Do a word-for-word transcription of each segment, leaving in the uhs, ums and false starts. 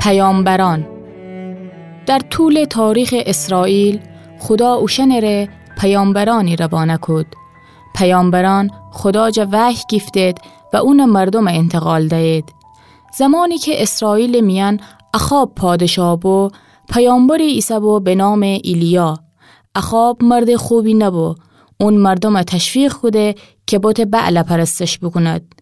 پیامبران. در طول تاریخ اسرائیل، خدا اوشأنٚره پیامبرأنی روانه کود. پیامبرأن خدا جا وحی گیفتید و اونٚ مردومٚ انتقال دیید. زمانی که اسرائیلٚ میأن اخاب پادشاه بو، پیامبری ایسه‌بو به نامٚ ایلیا. اخاب مردٚ خوبی نبو. اون مردومه تشویق کوده که بتٚ بعل پرستش بوکوند.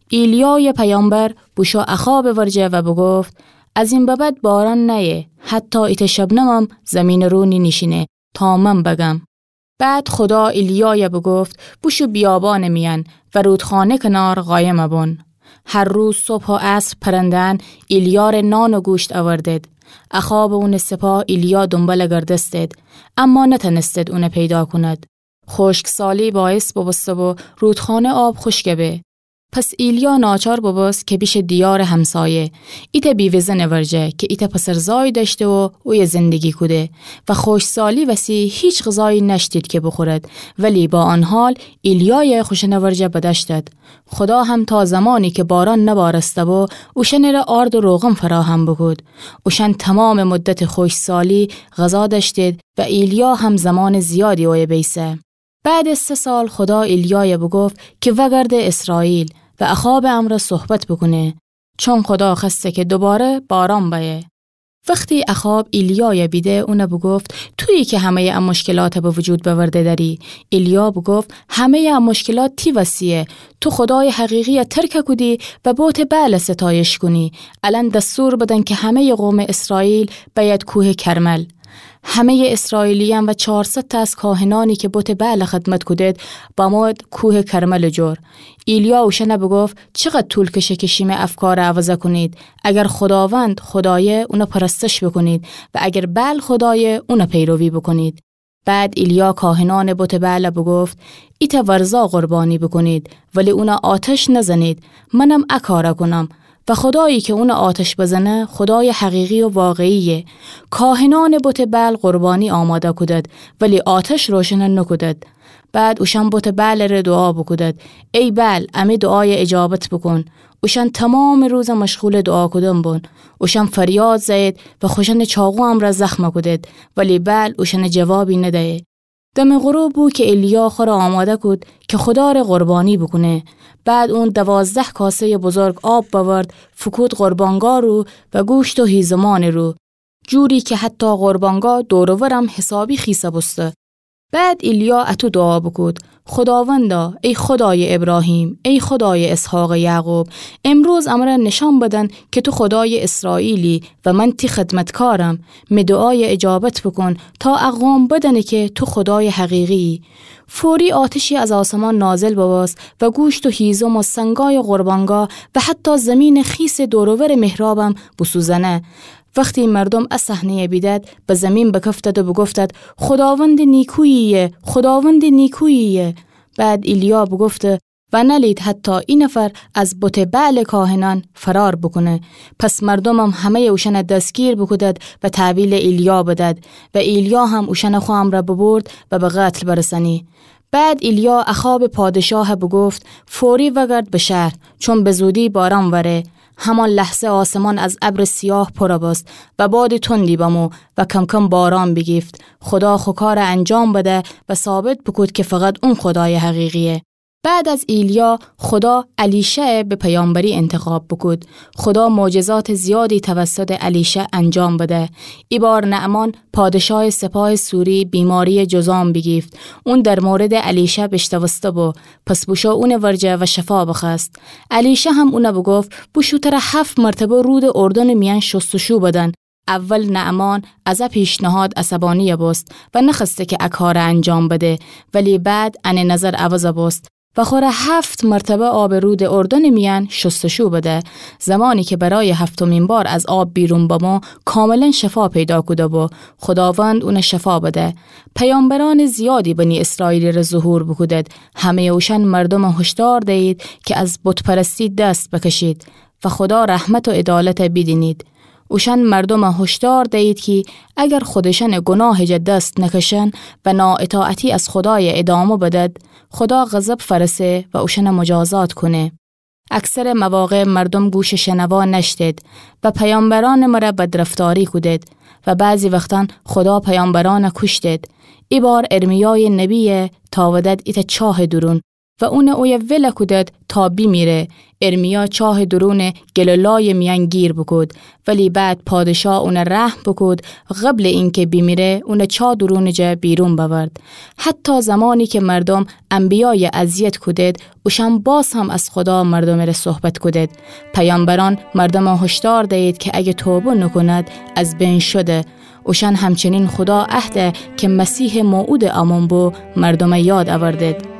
ایلیایٚ پیامبر بوشو اخابٚ ورجه و بوگفت: از این به بعد باران نیه، حتی ایتأ شبنمم زیمینٚ رو نینیشینه تا من بگم. بعد خدا ایلیای بوگفت: بوشو بیابانٚ میأن و رودخانه کنار قایم بون. هر روز صبح و عصر پرنده‌أن ایلیاره نان و گوشت اوردید. اخاب و اونٚ سپاه ایلیا دونبال گردستید، اما نتأنستید اونه پیدا کونید. خشکسالی باعث بوبوسته‌بو رودخانه آب خشک به. پس ایلیا ناچار بوبوست که بیشه دیارٚ همسایه، ایتأ بیوه‌زنٚ ورجه که ایتأ پسرزای دأشته و اویه زندگی کوده و خشکسالی وسی هیچ غذایی نأشتید که بوخورد، ولی با آن حال ایلیای خوشأنٚ ورجه بدأشتد. خدا هم تا زمانی که باران نبارسته‌بو، اوشأنٚره آرد و روغن فراهم بوکود. اوشأن تومامٚ مدتٚ خشکسالی غذا دأشتید و ایلیا هم زمانٚ زیادی اویه بیسه. بعدٚ سه سال خدا ایلیای بوگفت که وأگرده اسرائیل و اخابٚ امرأ صحبت بوکونه، چون خدا خوأسته که دوباره باران بأیه. وختی اخاب ایلیای بیده، اونه بوگفت: تویی که همه‌یٚ ا مشکلات به وجود بأورده دأری. ایلیا بوگفت: همه‌یٚ ا مشکلات تی وسیه. تو خدایٚ حقیقی ترک کودی و بتٚ بعل ستایش کونی. الأن دستور بدن که همه‌یٚ قومٚ اسرائیل بأید کوهٚ کرمل. همه‌یٚ اسرائیلیأن و چارصد تا از کاهنأنی که بتٚ بعل خدمت کودید، بمویید کوهٚ کرملٚ جور. ایلیا اوشأن بوگفت: چقدر طول کشه که شیمه افکار عوض کونید؟ اگر خداوند خدایه، اونه پرستش بوکونید، و اگر بعل خدایه، اونه پیروی بوکونید. بعد ایلیا کاهنأنٚ بتٚ بعل بوگفت: ایتأ ورزا قربانی بوکونید، ولی اونه آتش نزنید. منم ا کار کونم. و خدایی که اونه آتش بزنه، خدایٚ حقیقی و واقعیه. کاهنأنٚ بتٚ بعل قربانی آماده کودید، ولی آتش روشن نوکودید. بعد اوشأن بتٚ بعلٚره دوعا بوکودید: ای بعل، امی دوعای اجابت بوکون. اوشأن تومامٚ روز مشغولٚ دوعا کودن بون. اوشأن فریاد زأیید و خوشأنٚ چاقو امرأ زخم کودید، ولی بعل اوشأن جوابی ندیه. دمٚ غروب بو که ایلیا خوره آماده کود که خدا ره قربانی بوکونه. بعد اون دوازده کاسه‌یٚ بزرگ آب بأورد، فوکود قربانگاه رو و گوشت و هیزمانٚ رو، جوری که حتی قربانگاه دور و ورم حسابی خیسه بوسته. بعد ایلیا اطو دوعا بوکود: خداوندا، ای خدایٚ ابراهیم، ای خدایٚ اسحاق و یعقوب، امروز امرأ نشأن بدن که تو خدایٚ اسرائیلی و من تی خدمتکارم. می دوعای اجابت بوکون تا ا قوم بدأنه که تو خدایٚ حقیقی‌یی. فوری آتشی از آسمان نازل ببوست و گوشت و هیزم و سنگای قربانگاه و حتی زیمینٚ خیسٚ دور و ورٚ محرابم بوسوزأنه. وختی مردوم ا صحنه‌یٚ بیدد، به زیمین بکفتد و بوگفتد: خداوندٚ نیکویی‌یه، خداوندٚ نیکویی‌یه. بعد ایلیا بوگفته: و نألید حتی ای نفر از بتٚ بعلٚ کاهنأن فرار بوکونه. پس مردومم همه‌یٚ اوشأن دستگیر بوکودد و تحویلٚ ایلیا بدد. و ایلیا هم اوشأن خو امرأ ببرد و به قتل برسأنی. بعد ایلیا اخابٚ پادشاه بوگفت: فوری وأگرد به شهر، چون به زودی باران وأره. همان لحظه آسمان از ابرٚ سیاه پر بوست و بادٚ تندی بمو و کم‌کم باران بیگیفت. خدا خو کار انجام بده و ثابت بوکود که فقط اون خدایٚ حقیقی‌یه. بعد از ایلیا، خدا الیشع به پیامبری انتخاب بوکود. خدا معجزاتٚ زیادی توسطٚ الیشع انجام بده. ای بار نعمان، پادشاهٚ سپاهٚ سوری، بیماری‌یٚ جذام بیگیفت. اون در موردٚ الیشع بیشنوسته بو، پس بوشو اونٚ ورجه و شفا بخوأست. الیشع هم اون بوگفت: بوشو تر هفت مرتبه رودٚ اردنٚ میأن شستشو بدن. اول نعمان از ا پیشنهاد عصبانی بوست و نخوأسته که ا کار انجام بده، ولی بعد انٚ نظر عوض بوست و خوره هفت مرتبه آبٚ رودٚ اردنٚ میأن شستشو بده. زمانی که برایٚ هفتمین بار از آب بیرون بمو، کاملاً شفا پیدا کوده بو. خداوند اون شفا بده. پیامبرأنٚ زیادی بنی اسرائیلٚ ره ظهور بوکودد. همه‌یٚ اوشأن مردوم هشدار دیید که از بت‌پرستی دست بکشید و خدا رحمت و عدالت بیدینید. اوشأن مردوم هشدار دیید کی اگر خودشأنٚ گناهٚ جا دست نکشن و نااطاعتی از خدای ادامه بدد، خدا غضب فأرسه و اوشأن مجازات کونه. اکثرٚ مواقع مردوم گوشٚ شنوا نأشتید و پیامبرأنٚ مره بدرفتاری کودید و بعضی وختأن خودا پیامبرأنه کوشتید. ایبار ارمیایٚ نبیه تأودد ایتأ چاهٚ دورون و اونه اویه ول کودد تا بیمیره. ارمیا چاهٚ دورونٚ گل و لایٚ میأن گیر بوکود، ولی بعد پادشاه اونه رحم بوکود، قبلٚ اینکه بیمیره اونه چا دورونٚ جا بیرون بأورد. حتی زمانی که مردوم انبیایه اذیت کودید، اوشأن باز هم از خودا مردومٚ ره صحبت کودید. پیامبرأن مردومه هشدار دیید که اگه توبه نوکوند، از بین شده. اوشأن همچنین خودا عهده که مسیحٚ موعودٚ امون بو، مردومه یاد اوردید.